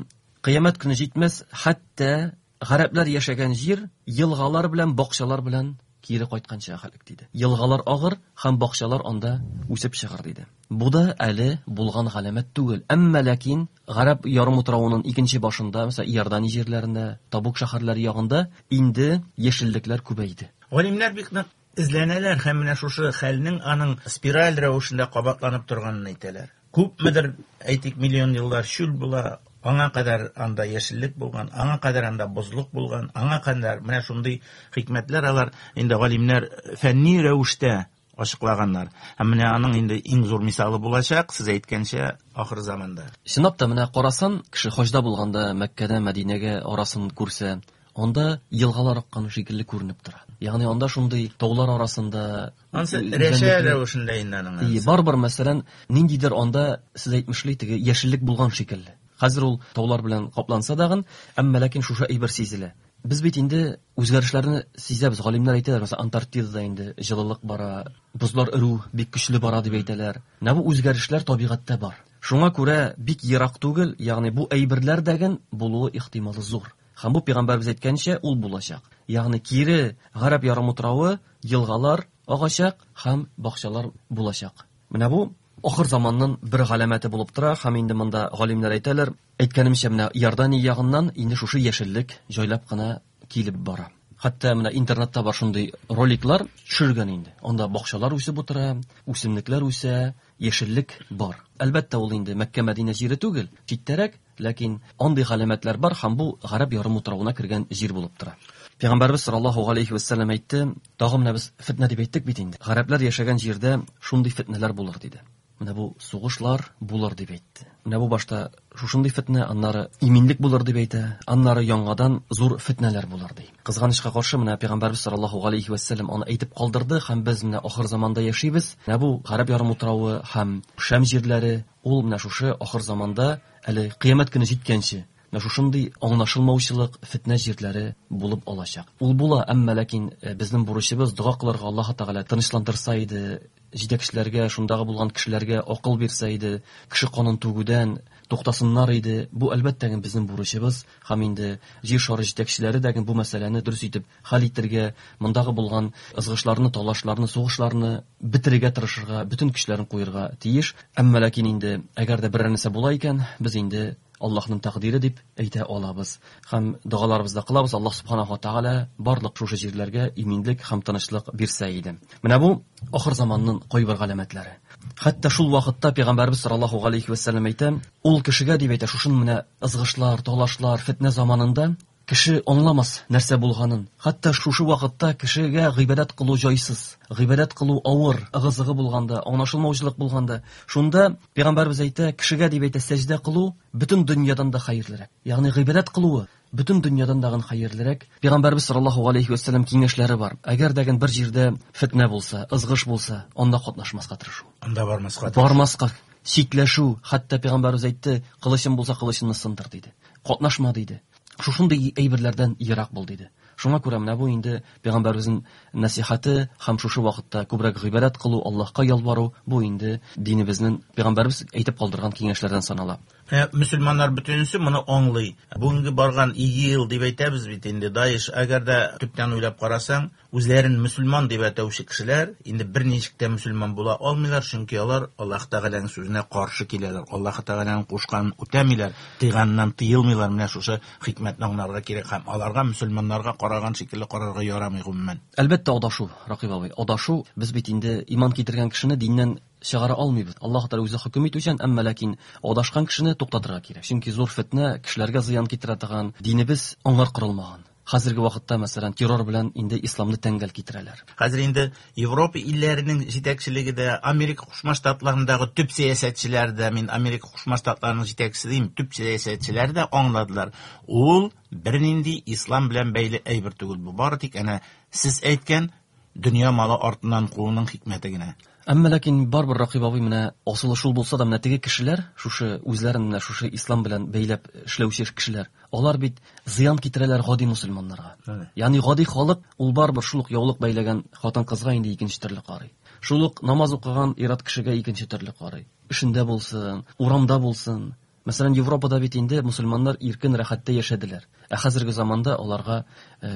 кыямәт көне җитмәс, хәтта гарәпләр яшәгән җир елгалар белән, бакчалар белән кире кайтканча хәлек диде. Елгалар агыр һәм бакчалар анда үсеп чыгар диде. Бу да әле булган галәмәт түгел. Әмма ләкин Гарәп ярымутравының икенче башында, мәсәлән, Иордания җирләрендә, Табук шәһәрләре ягында инде яшеллекләр күбәйде. Галимнәр бик нык эзләнәләр һәм менә шушы хәлнең аның спираль рәвешендә кабатланып торганын әйтәләр. Күпмедер, әйтик, миллион еллар чүл була, аңа кадәр анда яшеллек булган, аңа кадәр анда бозлык булган, аңа кадәр менә шундый хикмәтләр алар инде галимнәр фәнни рәвештә ачыклаганнар. Һәм менә аның инде иң зур мисалы булачак, сез әйткәнчә, ахыр заманда. Чынлап та менә карасан, кеше хаҗда булганда Мәккәдә Мәдинәгә арасын күрсә, анда елгалар аккан шикелле күренеп тора. Ягъни анда шундый таулар арасында ансы рәшә рәвешендә инде аның. Ие, барыбер мәсәлән, ниндидер анда сез әйтмешли теге яшеллек булган шикелле. Хәзер ул таулар белән капланса дагын, әмма ләкин шушы әйбер сизелә. Без бит инде үзгәрешләрне сизәбез. Галимнәр әйтәләр, мәсәлән, Антарктидада инде җылылык бара, бозлар эрү бик көчле бара дип әйтәләр. Менә бу үзгәрешләр табигатьтә бар. Шуңа күрә бик ерак түгел, ягъни бу әйберләр дәген булуы ихтималы зур. Һәм бу Пәйгамбәрбез әйткәнчә ул булачак. Ягъни кире Гарәп ярымутравы, елгалар агачак һәм бакчалар булачак. Менә бу ахыр заманның бер галәмәте булып тора һәм инде монда галимнәр әйтәләр, әйткәнемчә, менә Иордания ягыннан инде шушы яшеллек җайлап кына килеп бара. Хәтта менә интернетта бар шундый роликлар төшергән инде. Анда бакчалар үсеп утыра, үсемлекләр үсә, яшеллек бар. Әлбәттә, ул инде Мәккә Мәдинә җире түгел, читтәрәк, ләкин андый галәмәтләр бар һәм бу Гарәп ярымутравына кергән җир булып тора. Пәйгамбәрбез саллаллаһу алейхи ва саллям әйтте, тагы менә без фитнә дип әйттек бит инде. Гарәпләр яшәгән җирдә шундый фитнәләр булыр диде. Менә бу сугышлар булыр дип әйтте. Менә бу башта шушындый фитнә, аннары иминлек булыр дип әйтә, аннары яңадан зур фитнәләр булыр ди. Кызганычка каршы менә Пәйгамбәрбез саллаллаһу алейхи ва саллям аны әйтеп калдырды һәм без менә ахыр заманда яшибез. Менә бу Гарәп ярымутравы һәм Шам җирләре ул менә шушы ахыр заманда әле кыямәт көне җиткәнче менә шушындый аңлашылмаучылык, фитнә җирләре булып алачак. Ул була, әмма ләкин безнең бурычыбыз дога кылырга Аллаһ Тәгалә тынычландырса иде, җитәкчеләргә, шундагы булган кешеләргә акыл бирсә иде, кеше канын түгүдән туктасыннар иде. Бу әлбәттә безнең бурычыбыз һәм инде җир шары җитәкчеләре дә бу мәсьәләне дөрес итеп хәл итәргә, мондагы булган ызгышларны, талашларны, сугышларны бетерергә тырышырга, бөтен көчләрен куярга тиеш. Әмма ләкин инде әгәр дә берәр нәрсә була икән, без инде Аллаһның тәкъдире дип әйтә алабыз. Һәм догаларыбызда кылабыз, Аллаһ субханаһу ва тааля барлык шушы җирләргә иминлек һәм тынычлык бирсә иде. Менә бу ахыр заманның кайбер галәмәтләре. Хәтта шул вакытта Пәйгамбәрбез саллаллаһу алейхи ва саллям әйтә, ул кешегә дип әйтә, шушын менә ызгышлар, талашлар, фитнә заманында кеше аңламас нәрсә булганын. Хәтта шушы вакытта кешегә гыйбадәт кылу җайсыз, гыйбадәт кылу авыр, ыгы-зыгы булганда, аңлашылмаучылык булганда, шунда Пәйгамбәрбез әйтә, кешегә дип әйтә, сәҗдә кылу бөтен дөньядан да хәерлерәк. Ягъни гыйбадәт кылуы бөтен дөньядан да хәерлерәк. Пәйгамбәрбез саллаллаһу алейхи ва саллям киңәшләре бар. Әгәр дә бер җирдә фитнә булса, ызгыш булса, анда катнашмаска тырышу. Анда бармаска. Бармаска, чикләшү. Хәтта Пәйгамбәрбез әйтте, кылычың булса кылычыңны сындыр диде. Катнашма диде. Шушындый әйберләрдән ерак бул диде. Шуңа күрә менә бу инде Пәйгамбәребезнең нәсихәте һәм шушы вакытта күбрәк гыйбадәт кылу, Аллаһка ялвару, бу инде динебезнең Пәйгамбәребез әйтеп калдырган киңәшләрдән санала. Мөселманнар бөтенесе моны аңлый. Бүгенге барган ИГИЛ дип әйтәбез бит инде, Даиш, әгәр дә төптән уйлап карасаң, үзләрен мөселман дип әйтүче кешеләр инде берничек тә мөселман була алмыйлар, чөнки алар Аллаһ Тәгаләнең сүзенә каршы киләләр, Аллаһ Тәгаләнең кушканын үтәмиләр, тыйганнан тыелмыйлар. Менә шушы хикмәтне аңларга кирәк һәм аларга мөселманнарга караган шикелле карарга ярамый гомумән. Әлбәттә, адашу, Ракыйп абый, адашу. Без бит инде иман китергән кешене диннән чыгара алмыйбыз. Аллаһ Тәгалә үзе хөкем итүчән, әмма ләкин адашкан кешене туктатырга кирәк. Чөнки зур фитнә кешеләргә зыян китерә торган динебез аңар корылмаган. Хәзерге вакытта, мәсәлән, террор белән инде исламны тәңгәл китерәләр. Хәзер инде Европа илләренең җитәкчелеге дә, Америка Кушма Штатларындагы төп сәясәтчеләр дә, мин Америка Кушма Штатларының җитәкчесе дим, төп сәясәтчеләр дә аңладылар. Ул бернинди ислам белән бәйле әйбер түгел. Бу бары тик әнә сез әйткән дөнья малы артыннан кууның хикмәте генә. Әмма ләкин барбер Ракыйп абый менә асылы шул булса да, менә теге кешеләр, шушы үзләрен менә шушы ислам белән бәйләп эшләүче кешеләр, алар бит зыян китерәләр гади мөселманнарга. Ягъни гади халык ул барбер шул ук яулык бәйләгән хатын-кызга инде икенче төрле карый. Шул ук намаз укыган ир-ат кешегә икенче төрле карый. Эшендә булсын, урамда булсын. Мәсәлән, Европада бит инде мөселманнар иркен рәхәттә яшәделәр. Ә хәзерге заманда аларга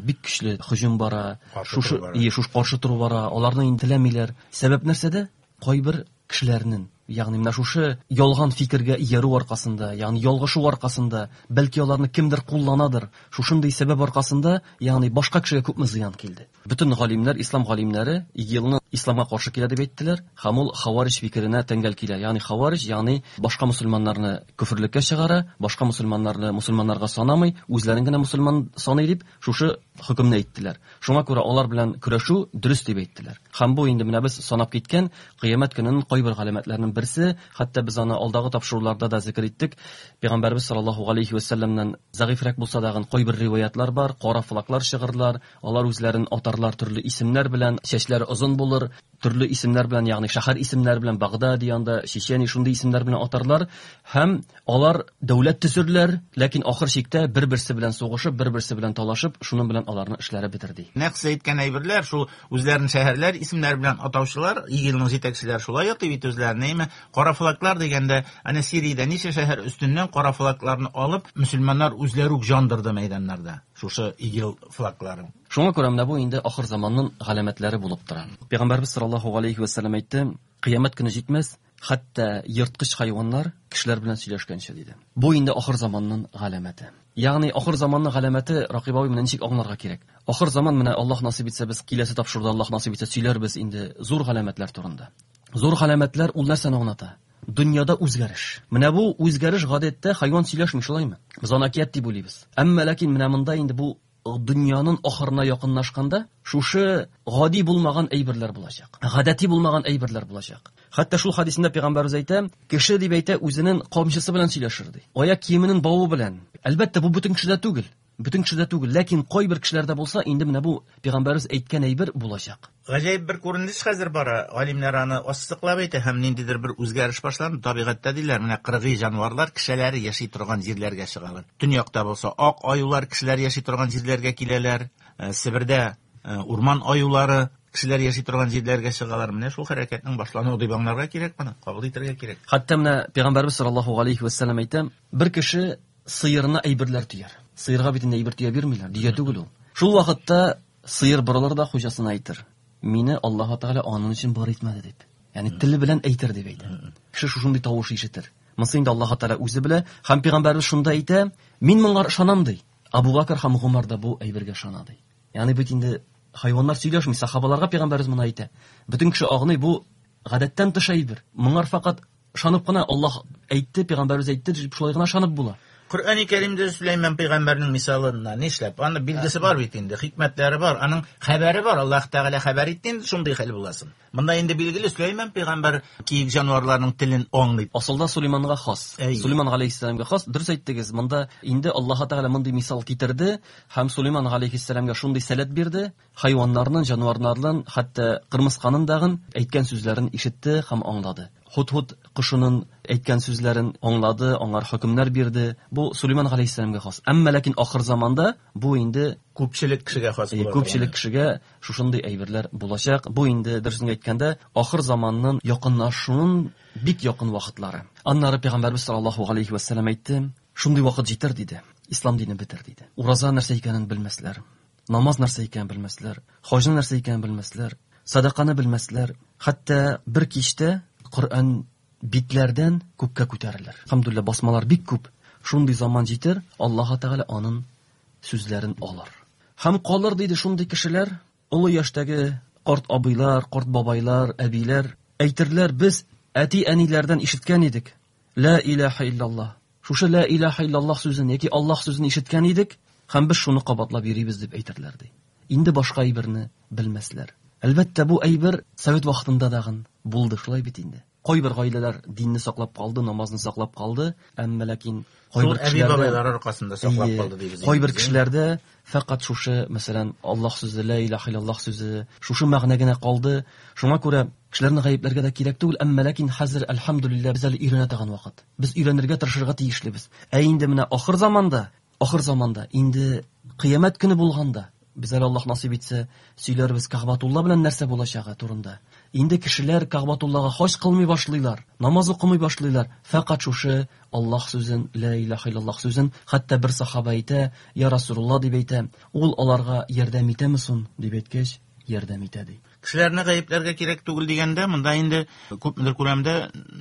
бик көчле һөҗүм бара, шушы, шушы каршы тору бара, аларны инде теләмиләр. Сәбәп нәрсәдә? Кайбер кешеләрнең, ягъни менә шушы ялган фикергә иярү аркасында, ягъни ялгышу аркасында, бәлки аларны кемдер кулланадыр, шушындый сәбәп аркасында, ягъни башка кешегә күпме зыян килде. Бөтен галимнәр, ислам галимнәре ИГИЛны исламга каршы килә дип әйттеләр, һәм ул хаварич фикеренә тәңгәл килә. Ягъни хаварич, ягъни башка мөселманнарны көферлеккә чыгара, башка мөселманнарны мөселманнарга санамый, үзләрен генә мөселман саный дип шушы хөкемне әйттеләр. Шуңа күрә алар белән көрәшү дөрес дип әйттеләр. Һәм бу инде менә без санап киткән кыямәт көненең кайбер галәмәтләренең берсе, хәтта без аны алдагы тапшыруларда да зикр иттек. Пәйгамбәрбез саллаллаһу алейхи ва саллямнан зәгыйфрәк булса дагын кайбер риваятлар бар, кара флаглар чыгарлар, алар үзләрен атарлар төрле исемнәр белән, чәчләре озын булыр, төрле исемнәр белән, ягъни шәһәр исемнәре белән, Багдад янында, Чечения шундый исемнәр белән атарлар һәм алар дәүләт төзерләр, ләкин ахыр чиктә бер-берсе белән сугышып, бер-берсе белән талашып, шуның белән аларның эшләре бетер ди. Нәкъ сез әйткән әйберләр, шул үзләрен шәһәрләр исемнәре белән атаучылар, ИГИЛның җитәкчеләре шулай атый бит үзләрен, әйме? Кара флаглар дигәндә, әнә Сириядә ничә шәһәр өстеннән кара флагларны алып, мөселманнар үзләре үк җандырды мәйданнарда шушы ИГИЛ флагларын. Шуңа күрә менә бу инде ахыр заманның галәмәтләре булып тора. Пәйгамбәрбез саллаллаһу алейхи ва саллям әйтте, кыямәт көне җитмәс, хәтта ерткыч хайваннар кешеләр белән сөйләшкәнче диде. Бу инде ахыр заманның галәмәте. Ягъни ахыр заманның галәмәте, Ракыйп абый, менә ничек аңларга кирәк? Ахыр заман менә Аллаһ насыйп итсә, без киләсе тапшыруда Аллаһ насыйп итсә сөйләрбез инде зур галәмәтләр турында. Зур галәмәтләр ул нәрсәне аңлата? Дөньяда үзгәреш. Менә бу үзгәреш гадәттә хайван сөйләшми, шулаймы? Без аны әкият дип уйлыйбыз. Әмма ләкин менә монда инде бу дөньяның ахырына якынлашканда шушы гади булмаган әйберләр булачак. Гадәти булмаган әйберләр булачак. Хәтта шул хадисендә пәйгамбәрбез әйтә, кеше дип әйтә, үзенең камчысы белән сөйләшер ди. Аяк киеменең бавы белән. Әлбәттә, бу бөтен кешедә түгел. Бөтен кешедә түгел, ләкин кайбер кешеләрдә булса, инде менә бу пәйгамбәрбез әйткән әйбер булачак. Гаҗәеп бер күренеш хәзер бара. Галимнәр аны ассызыклап әйтә һәм ниндидер бер үзгәреш башланды. Табигатьтә диләр, менә кыргый җанварлар кешеләр яши торган җирләргә чыгалар. Төньякта булса, ак аюлар кешеләр яши торган җирләргә киләләр. Себердә урман аюлары кешеләр яши торган җирләргә чыгалар. Менә шул хәрәкәтнең башлануы дип аңларга кирәк моны, кабул итәргә кирәк. Хәтта менә пәйгамбәрбез саллаллаһу алейхи ва саллям әйтә, бер кеше сыерына әйберләр төяр. Сыерга бит инде әйбер төя бирмиләр, дөя түгел ул. Шул вакытта сыер борылыр да хуҗасына әйтер: "Мине Аллаһ Тәгалә аның өчен бар итмәде" дип. Ягъни теле белән әйтер дип әйтә. Кеше шушындый тавыш ишетер. Монысы инде Аллаһ Тәгалә үзе белә, һәм пәйгамбәрбез шунда әйтә: "Мин моңа ышанам" ди. Абу Бакр һәм Гумар да бу әйбергә ышана ди. Ягъни бит инде хайваннар сөйләшми, сахабаларга пәйгамбәрбез моны әйтә. Бөтен кеше аңлый, бу гадәттән тыш әйбер. Моңар факат ышанып кына Аллаһ әйтте, пәйгамбәрбез әйтте дип шулай гына ышанып була. Коръәни Кәримдә Сөләйман пәйгамбәрнең мисалына нишләп? Аны билгесе бар бит инде, хикмәтләре бар, аның хәбәре бар. Аллаһ Тәгалә хәбәр итте инде шундый хәл буласын. Монда инде билгеле Сөләйман пәйгамбәр киек җанварларның телен аңлый. Асылда Сөләйманга хас. Сөләйман галәйһиссәламгә хас. Дөрес әйттегез, монда инде Аллаһ Тәгалә мондый мисал китерде һәм Сөләйман галәйһиссәламгә шундый сәләт бирде. Хайваннарның, җанварларның, хәтта кырмысканың дагын әйткән сүзләрен ишетте һәм аңлады. Һуд-һуд кошының әйткән сүзләрен аңлады, аңар хөкемнәр бирде. Бу Сөләйман галәйһиссәламгә хас. Әмма ләкин ахыр заманда бу инде күпчелек кешегә хас була. Күпчелек кешегә шушындый әйберләр булачак. Бу инде дөресен әйткәндә ахыр заманның якынлашуының бик якын вакытлары. Аннары пәйгамбәрбез саллаллаһу алейхи ва саллям әйтте, шундый вакыт җитәр диде. Ислам дине бетер диде. Ураза нәрсә икәнен белмәсләр, намаз нәрсә икәнен белмәсләр, хаҗны нәрсә икәнен белмәсләр, садаканы белмәсләр. Хәтта бер кичтә Коръән битләрдән күккә күтәрелер. Әлхәмдүлилләһ, басмалар бик күп. Шундый заман җитер, Аллаһ Тәгалә аның сүзләрен алыр. Һәм калыр диде шундый кешеләр, олы яшьтәге карт абыйлар, карт бабайлар, әбиләр әйтерләр, без әти-әниләрдән ишеткән идек. Ла илаһа иллаллаһ. Шушы ла илаһа иллаллаһ сүзен яки Аллаһ сүзен ишеткән идек, һәм без шуны кабатлап йөрибез дип әйтерләр ди. Инде башка әйберне белмәсләр. Әлбәттә, бу әйбер совет вакытында дагын булды, шулай бит инде. Кайбер гаиләләр динне саклап калды, намазны саклап калды, әмма ләкин кайбер кешеләрдә әби-бабайлар аркасында саклап калды дибез. Кайбер кешеләрдә фәкать шушы, мәсәлән, Аллаһ сүзе, ла илаһа иллаллаһ сүзе, шушы мәгънә генә калды. Шуңа күрә кешеләрне гаепләргә дә кирәк түгел, әмма ләкин хәзер әлхәмдүлилләһ без әле өйрәнә торган вакыт. Без өйрәнергә тырышырга тиешлебез. Ә инде менә ахыр заманда, ахыр заманда инде кыямәт көне булганда, без әле Аллаһ насыйп итсә, сөйләрбез Кәгъбәтулла белән нәрсә булачагы турында. Инде кешеләр Кәгъбәтуллага хаҗ кылмый башлыйлар, намаз укымый башлыйлар. Фәкать шушы Аллаһ сүзен, ла илаһа иллаллаһ сүзен, хәтта бер сахаба әйтә, я Расулулла дип әйтә, ул аларга ярдәм итәме соң дип әйткәч, ярдәм итә ди. Кешеләрне гаепләргә кирәк түгел дигәндә, монда инде күпмедер күләмдә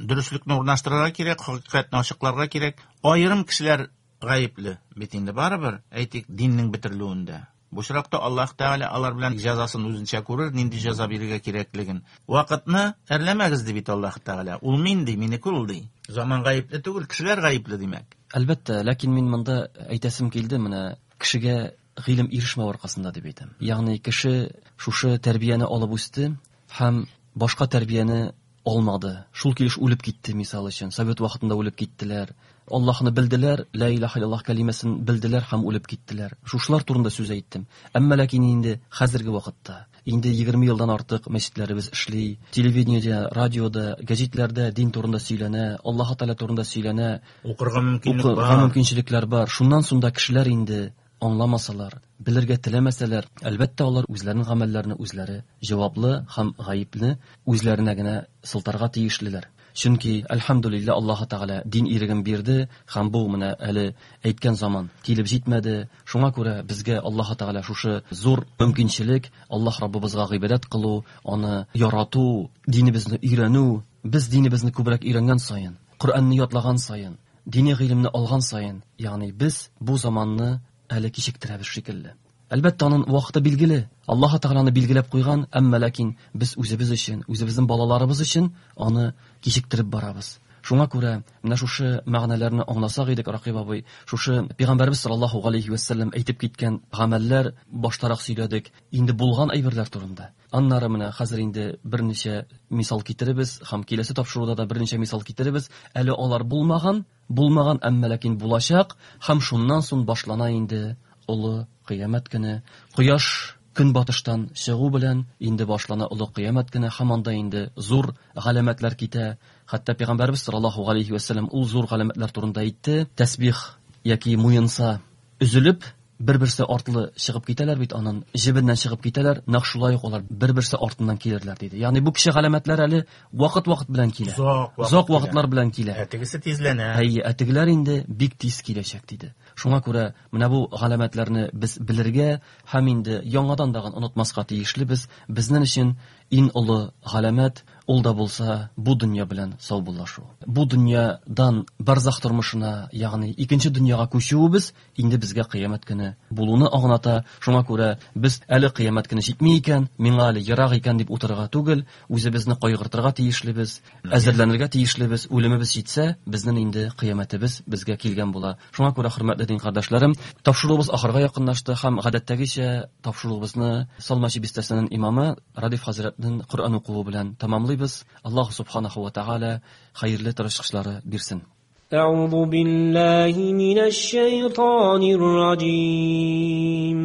дөреслекне урнаштырырга кирәк, хакыйкатьне ачыкларга кирәк. Аерым кешеләр гаепле бит инде барыбер, әйтик, диннең бетерелүендә. Бу очракта Аллаһ Тәгалә алар белән җәзасын үзенчә күрер, нинди җәза бирергә кирәклеген. Вакытны әрләмәгез ди бит Аллаһ Тәгалә. Ул мин ди, минеке ул ди. Заман гаепле түгел, кешеләр гаепле димәк. Әлбәттә, ләкин мин монда әйтәсем килде, менә кешегә гыйлем ирешмәү аркасында дип әйтәм. Ягъни кеше шушы тәрбияне алып үсте һәм башка тәрбияне алмады. Шул килеш үлеп китте, мисал өчен. Совет вакытында үлеп киттеләр. Аллаһны белделәр, ла илаһа иллаллаһ кәлимәсен белделәр һәм үлеп киттеләр. Шушылар турында сүз әйттем. Әмма ләкин инде хәзерге вакытта, инде егерме елдан артык мәчетләребез эшли, телевидениедә, радиода, гәзитләрдә дин турында сөйләнә, Аллаһ Тәгалә турында сөйләнә. Укырга мөмкинлек бар. Укырга мөмкинчелекләр бар. Шуннан соң да кешеләр инде аңламасалар, белергә теләмәсәләр, әлбәттә алар үзләренең гамәлләрен үзләре җаваплы һәм гаепле үзләренә генә сылтарга тиешлеләр. Чөнки әлхәмдүлилләһ Аллаһ Тәгалә дин иреген бирде һәм бу менә әле әйткән заман килеп җитмәде. Шуңа күрә безгә Аллаһ Тәгалә шушы зур мөмкинчелек, Аллаһ Раббыбызга гыйбадәт кылу, аны ярату, динебезне өйрәнү. Без динебезне күбрәк өйрәнгән саен, Коръәнне ятлаган саен, дини гыйлемне алган саен, ягъни без бу заманны әле кичектерәбез шикелле. Әлбәттә, аның вакыты билгеле. Аллаһ Тәгаләне билгеләп куйган, әмма ләкин без үзебез өчен, үзебезнең балаларыбыз өчен аны кичектереп барабыз. Шуңа күрә менә шушы мәгънәләрне аңласак идек, Ракыйп абый, шушы Пәйгамбәрбез саллаллаһу галәйһи вә сәлләм әйтеп киткән гамәлләр баштарак сөйләдек, инде булган әйберләр турында. Аннары менә хәзер инде берничә мисал китеребез һәм киләсе тапшыруда да берничә мисал китеребез. Әле алар булмаган, булмаган, әмма ләкин булачак һәм шуннан соң башлана инде олы кыямәт көне. Кояш көнбатыштан чыгу белән инде башлана олы кыямәт көне һәм анда инде зур галәмәтләр китә. Хәтта Пәйгамбәрбез саллаллаһу галәйһи вә сәлләм ул зур галәмәтләр турында әйтте. Тәсбих яки муенса өзелеп бер-берсе артлы чыгып китәләр бит, анын җебеннән чыгып китәләр, нәкъ шулай ук алар бер-берсе артыннан килерләр диде. Ягъни бу кеше галәмәтләр әле вакыт-вакыт белән килә. Озак вакыт Озак килә. вакытлар белән килә. Ә тегесе тизләнә. Әйе, ә тегеләр инде бик тиз киләчәк диде. Шуңа күрә менә бу галәмәтләрне без белергә һәм инде яңадан дагын онытмаска тиешлебез. Безнең өчен иң олы галәмәт ул да булса бу дөнья белән саубуллашу. Бу дөньядан барзах тормышына, ягъни икенче дөньяга күчүебез инде безгә кыямәт көне булуны аңлата. Шуңа күрә без әле кыямәт көне җитми икән, миңа әле ерак икән дип утырырга түгел, үзебезне кайгыртырга тиешлебез, әзерләнергә тиешлебез. Үлемебез җитсә, безнең инде кыямәтебез безгә килгән була. Шуңа күрә, хөрмәтле дин кардәшләрем, тапшыруыбыз ахырга якынлашты һәм гадәттәгечә тапшыруыбызны Салмачи бистәсенең имамы Радиф хәзрәтнең Коръән укуы белән тәмамлыйбыз. Аллаһ субханаһу ва тааля хәерле тырышлыклары бирсен. أعوذ بالله من الشيطان الرجيم.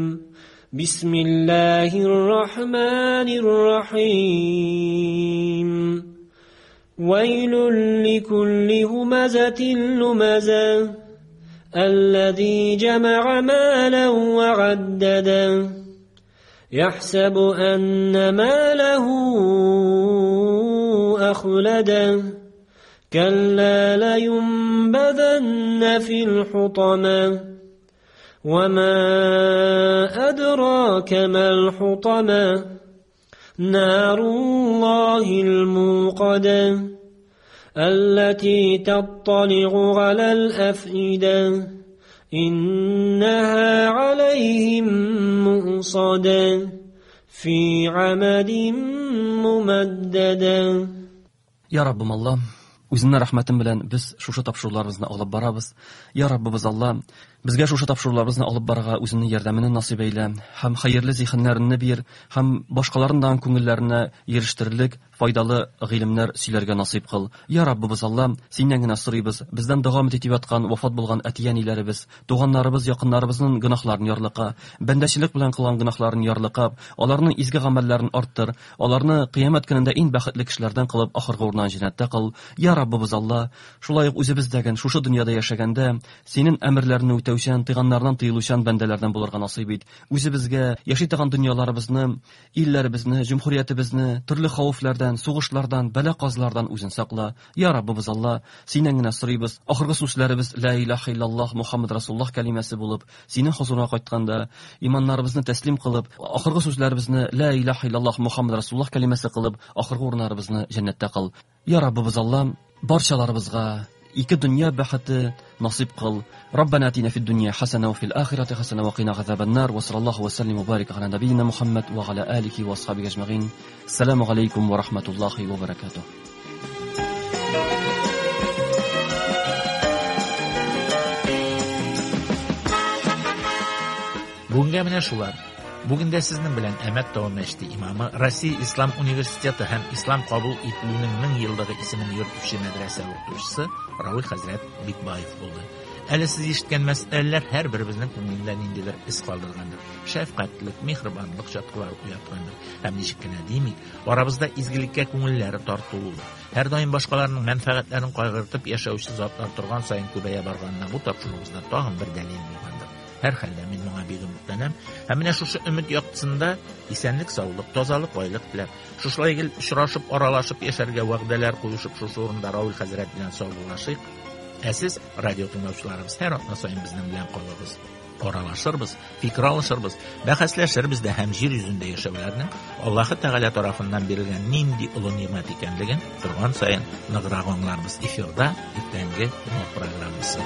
بسم الله الرحمن الرحيم. ويل لكل همزة لمزة الذي جمع مالا وعدده يحسب أن ماله أخلده كلا لينبذن في الحطمة وما أدراك ما الحطمة نار الله الموقدة التي تطلع على الأفئدة إنها عليهم مؤصدة في عمد ممددة. Ya Rabbim Allah, үзеңнең рәхмәтең белән без шушы тапшыруларыбызны алып барабыз. Я Раббыбыз Алла, безгә шушы тапшыруларыбызны алып барырга үзеңнең ярдәмеңне насыйп әйлә һәм хәерле зиһеннәреңне бир һәм башкаларның күңелләренә ирештерерлек файдалы гыйлемнәр сөйләргә насыйп кыл. Я Раббыбыз Алла, синнән генә сорыйбыз, бездән дәвам итеп яткан вафат булган әти-әниләребез, туганнарыбыз, якыннарыбызның гөнаһларын ярлыка, бәндәчелек белән кылган гөнаһларын ярлыкап, аларның изге гамәлләрен арттыр, аларны кыямәт көнендә иң бәхетле кешеләрдән кылып, ахыргы урыннан җәннәттә кыл. Я Раббыбыз Алла, шулай ук үзебездәген шушы дөньяда яшәгәндә синең әмерләреңне үтәүчән, тыйганнардан тыелучан бәндәләрдән булырга насыйп ит. Үзебезгә яши торган дөньяларыбызны, илләребезне, җөмһүриятебезне төрле хәвефләрдән, сугышлардан, бәла-казалардан үзең сакла. Я Раббыбыз Алла, синнән генә сорыйбыз. Ахыргы сүзләребез ла илаһа иллаллаһ Мухаммад Расулуллаһ кәлимәсе булып, синең хозурыңа кайтканда иманнарыбызны тәслим кылып, ахыргы сүзләребезне ла илаһа иллаллаһ Мухаммад Расулуллаһ кәлимәсе кылып, ахыргы урыннарыбызны җәннәттә кыл. Я Раббыбыз Алла, барчаларыбызга ике дөнья бәхете насыйп кыл. Раббана атина фид дөнья хасана ва фил ахирати хасана ва кина газабан-нар. Ва саллаллаху ва саллим ва барик аля набийна Мухаммад ва аля алихи ва асхабихи ажмаин. Ассаламу алейкум ва рахматуллахи ва баракатух. Бүгенгә менә шулар. Бүген дә сезнең белән Әмәт Тау мәчете имамы, Россия Ислам университеты һәм Ислам кабул ителүнең мең еллыгы исемен йөртүче мәдрәсә укытучысы Равил хәзрәт Бикбаев булды. Әле сез ишеткән мәсьәләләр һәр беребезнең күңелендә ниндидер эз калдыргандыр. Шәфкатьлек, миһербанлык чаткылары уяткандыр. Һәм ничек кенә димик, арабызда изгелеккә күңелләре тартылуы, һәр даим башкаларның мәнфәгатьләрен кайгыртып яшәүче затлар торган саен күбәя барганына бу тапшыруыбызда тагын бер дәлил булгандыр. Һәр хәлдә мин моңа бик өметләнәм. Һәм менә шушы өмет яктысында исәнлек, саулык, тазалык, байлык теләп, шушылай гел очрашып, аралашып яшәргә вәгъдәләр куешып, шушы урында Равил хәзрәт белән саубуллашыйк. Ә сез, радио тыңлаучыларыбыз, һәр атна саен безнең белән калыгыз. Аралашырбыз, фикер алышырбыз, бәхәсләшербез дә һәм җир йөзендә яшәүләрнең Аллаһы Тәгалә тарафыннан бирелгән нинди олы ниғмәт икәнлеген торган саен ныграк аңларбыз. Эфирда иртәнге Нур программасы.